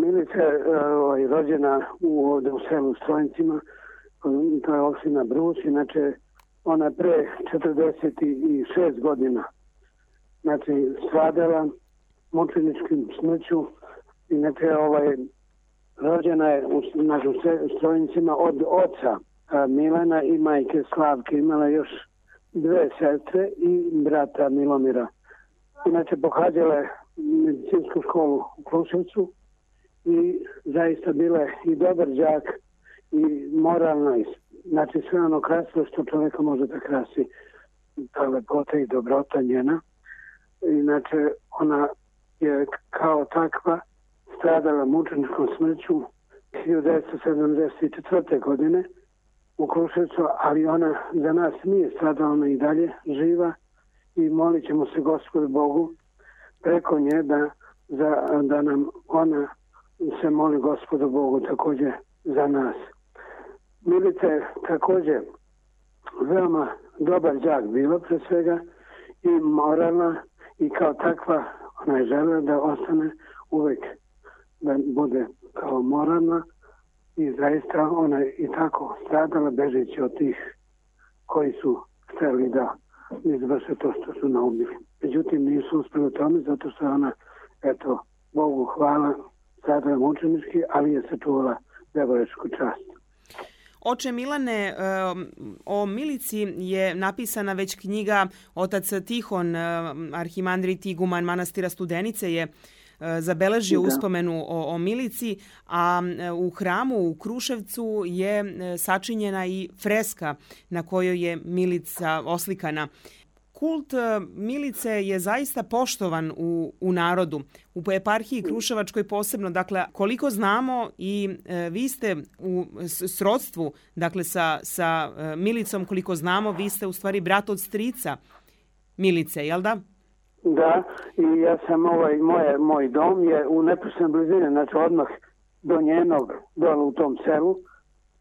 Milica je rođena ovdje u selu Strojincima, to je opština Brus, inače ona pre 46 godina stradala mučeničkim smrću. Inače rođena je u Strojincima od oca Milana i majke Slavke. Imala još 2 sestre i brata Milomira. Inače pohađala je medicinsku školu u Kruševcu i zaista bila je i dobar đak i moralna. Znači sve ono krasno što čovjeka može da krasi, ta lepota i dobrota njena. Inače ona je kao takva stradala mučeničkom smrću 1974. godine u Kruševcu, ali ona za nas nije stradala, ona i dalje živa i molit ćemo se Gospodu Bogu preko nje da nam ona se moli Gospodu Bogu također za nas. Milica je također veoma dobar đak bila pre svega i moralna i kao takva ona je želela da ostane uvek, da bude kao moralna i zaista ona je i tako stradala bežeći od tih koji su hteli da izvrše to što su naubili. Međutim, nisu uspjeli u tome zato što ona, eto, Bogu hvala, stradala mučenički, ali je sačuvala devoječku čast. Oče Milane, o Milici je napisana već knjiga. Otac Tihon, arhimandrit iguman manastira Studenice, je zabeležio uspomenu o Milici, a u hramu u Kruševcu je sačinjena i freska na kojoj je Milica oslikana. Kult Milice je zaista poštovan u narodu, u eparhiji Kruševačkoj posebno. Dakle, koliko znamo i vi ste u srodstvu, dakle, sa Milicom, koliko znamo, vi ste u stvari brat od strica Milice, jel da? Da, i ja sam moj dom je u neposrednoj blizini, znači odmah do njenog, dole u tom selu,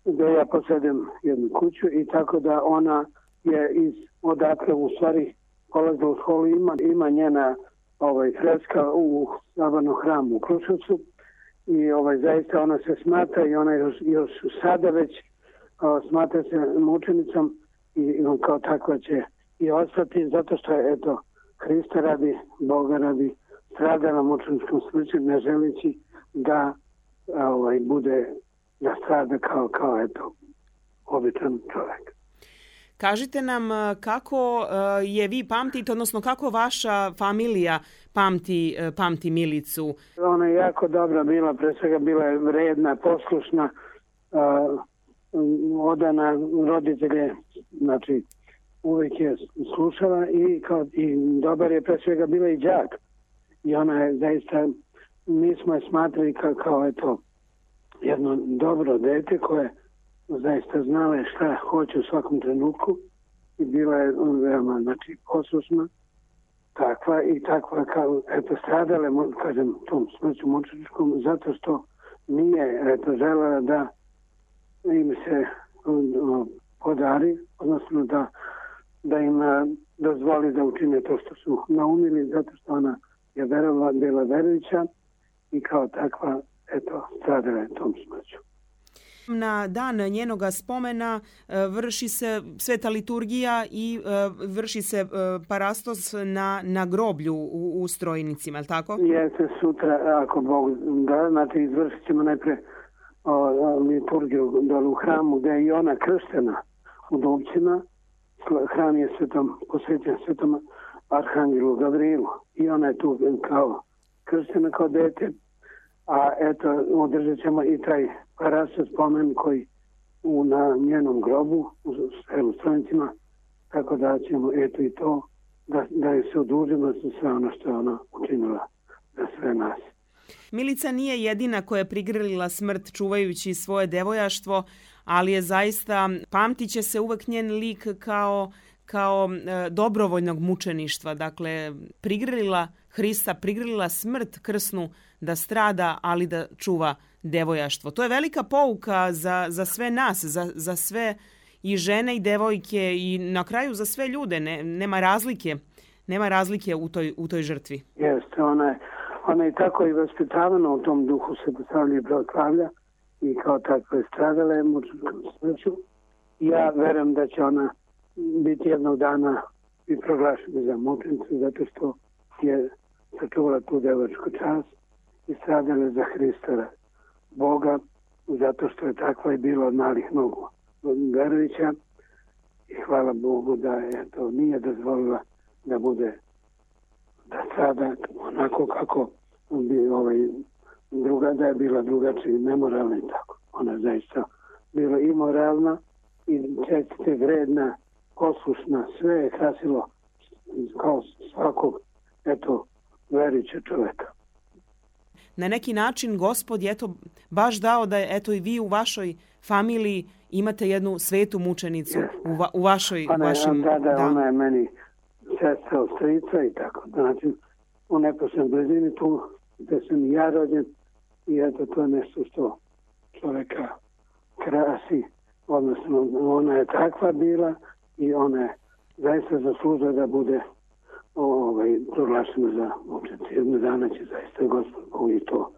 gdje ja posjedim jednu kuću i tako da ona je odatle u stvari polazila u školu, ima njena freska u Sabornom hramu u Kruševcu i zaista ona se smatra i ona još sada već smatra se mučenicom i kao takva će i ostati zato što je eto Hrista radi, Boga radi, stradala mučeničkom smrću ne želeći da bude, da strada kao eto običan čovjek. Kažite nam kako je vi pamtite, odnosno kako vaša familija pamti Milicu? Ona je jako dobra bila, pre svega bila je vredna, poslušna, odana roditelje, znači uvijek je slušala i dobar je pre svega bila i đak. I ona je zaista, mi smo je smatrali kao eto jedno dobro dete koje zaista znala je šta hoće u svakom trenutku i bila je veoma poslušna, takva kao eto stradale, kažem, tom smrću mučeničkom zato što nije eto želela da im se podari, odnosno da im dozvoli da učine to što su naumili, zato što ona je bila verujuća i kao takva eto stradala je tom smrću. Na dan njenoga spomena vrši se sveta liturgija i vrši se parastos na groblju u Strojnicima, je li tako? Jeste, sutra, ako Bog da, znači izvršit ćemo najpre liturgiju dole u hramu gdje je i ona krštena u Dubcima. Hram je posvećen svetom Arhangelu Gavrilu i ona je tu kao krštena kao dete. A eto, održat ćemo i taj parastos spomen koji na njenom grobu u selu Strojincima, tako da ćemo eto i to da je se odužimo za sve ono što je ona učinila za sve nas. Milica nije jedina koja je prigrlila smrt čuvajući svoje devojaštvo, ali je zaista, pamtit će se uvek njen lik kao dobrovoljnog mučeništva. Dakle, prigrlila Hrista, prigrlila smrt krsnu da strada, ali da čuva devojaštvo. To je velika pouka za sve nas, za sve i žene i devojke i na kraju za sve ljude. Nema razlike u toj žrtvi. Jeste, Ona je tako i vaspitavana u tom duhu se postavlja pravoslavlja i kao takva je stradala je mučnom smrću. Ja verujem da će ona biti jednog dana i proglašena za mučenicu zato što je sačuvala tu devačku čast i stradala za Hrista Boga zato što je takva i bila od malih nogu verujuća i hvala Bogu da je to nije dozvolila da bude da strada onako kako bi da je bila drugačija i nemoralna i tako. Ona je zaista bila i moralna i čestita, vredna, poslušna, sve je krasilo kao svakog verujućeg čoveka. Na neki način Gospod je baš dao da je i vi u vašoj familiji imate jednu svetu mučenicu u vašoj... Ona je meni sestra od strica i tako. Znači, u neposrednoj blizini tu gde sam i ja rođen i to je nešto što čoveka krasi. Odnosno, ona je takva bila i ona je zaista zaslužila da bude proglašena za mučenicu. Jednog dana će zaista Gospod i to